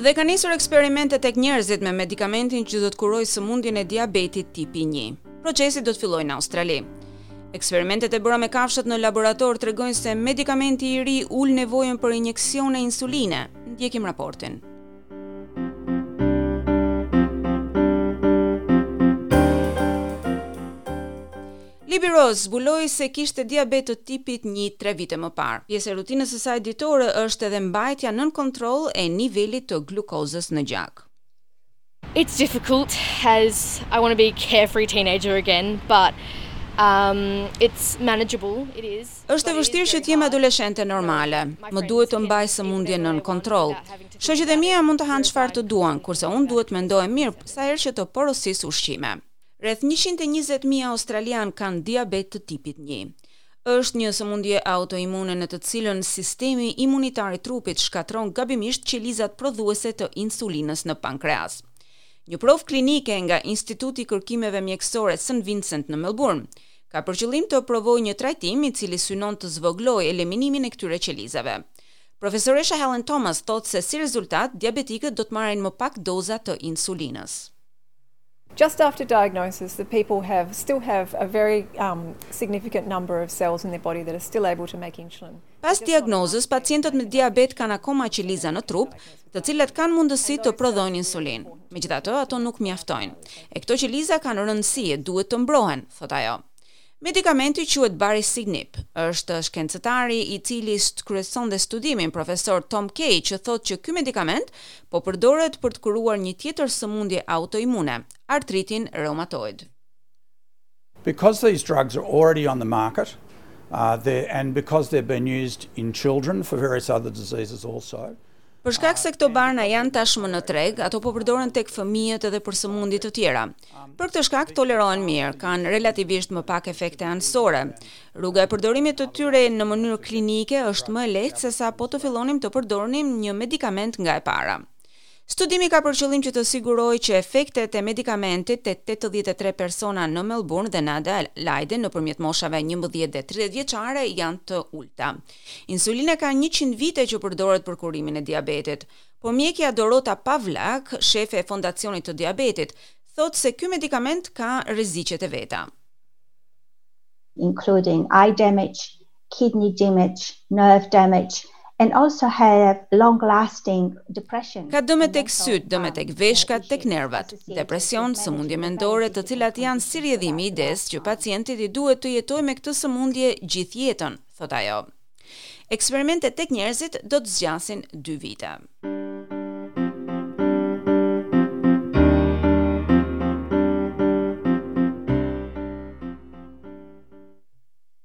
Dhe ka nisur eksperimentet tek njerëzit me medikamentin që do të kurojë sëmundjen e diabetit tipi 1. Procesi do të fillojë në Australi. Eksperimentet e bëra me kafshët në laborator tregojnë se medikamenti i ri ul nevojën për injeksione insuline. Ndjekim raportin. Libby Rose zbuloi se kishte diabet të tipit 1 tre vite më parë. Pjesë e rutinës së saj ditore është edhe mbajtja nën kontroll e nivelit të glukozës në gjak. It's difficult as I want to be a carefree teenager again, but um it's manageable, it is. Është e vështirë që të jem adoleshente normale. Më duhet të mbaj sëmundjen nën kontroll. Shoqet e mia mund të hanë çfarë të duan, kurse unë duhet të mendohem mirë sa herë që të porosis ushqime. Rreth 120.000 australianë kanë diabet të tipit 1. Është një sëmundje autoimune në të cilën sistemi imunitar i trupit shkatërron gabimisht qelizat prodhuese të insulinës në pankreas. Një provë klinike nga Instituti i Kërkimeve Mjekësore St Vincent në Melbourne ka për qëllim të provojë një trajtim i cili synon të zvogëlojë eliminimin e këtyre qelizave. Profesoresha Helen Thomas thotë se si rezultat diabetikët do të marrin më pak doza të insulinës. Just after diagnosis, the people have still have a very um, significant number of cells in their body that are still able to make insulin. Pas diagnozës, pacientët me diabet kanë akoma qeliza në trup, të cilat kanë mundësi të prodhojnë insulinë. Megjithatë, ato nuk mjaftojnë. E këto qeliza kanë rëndësi e duhet të mbrohen, thotë ajo. Medikamenti quhet Baricitinib. Është shkencëtari i cili kryeson dhe studimin, profesor Tom Kay, që thotë që ky medikament po përdoret për të kuruar një tjetër sëmundje autoimune, artritin reumatoid. Because these drugs are already on the market, uh, and because they've been used in children for various other diseases also. Për shkak se këto barna janë tashmë në treg, ato po përdoren tek fëmijët edhe për sëmundje të tjera. Për këtë shkak tolerohen mirë, kanë relativisht më pak efekte anësore. Rruga e përdorimit të tyre në mënyrë klinike është më e lehtë sesa po të fillonim të përdornim një medikament nga e para. Studimi ka për qëllim që të sigurojë që efektet e medikamentit te 83 persona në Melbourne dhe në Adelaide nëpërmjet moshave 11 dhe 30 vjeçare janë të ulta. Insulina ka 100 vite që përdoret për kurimin e diabetit, por mjekja Dorota Pawlak, shefe e Fondacionit të Diabetit, thotë se ky medikament ka rreziqet e veta. Including eye damage, kidney damage, nerve damage and also have long lasting depression. Ka dëme tek sytë, dëme tek veshkat, tek nervat, depresion, sëmundje mendore, të cilat janë si rrjedhim i idesë që pacientit i duhet të jetojë me këtë sëmundje gjithë jetën, thotë ajo. Eksperimentet tek njerëzit do të zgjasin 2 vite.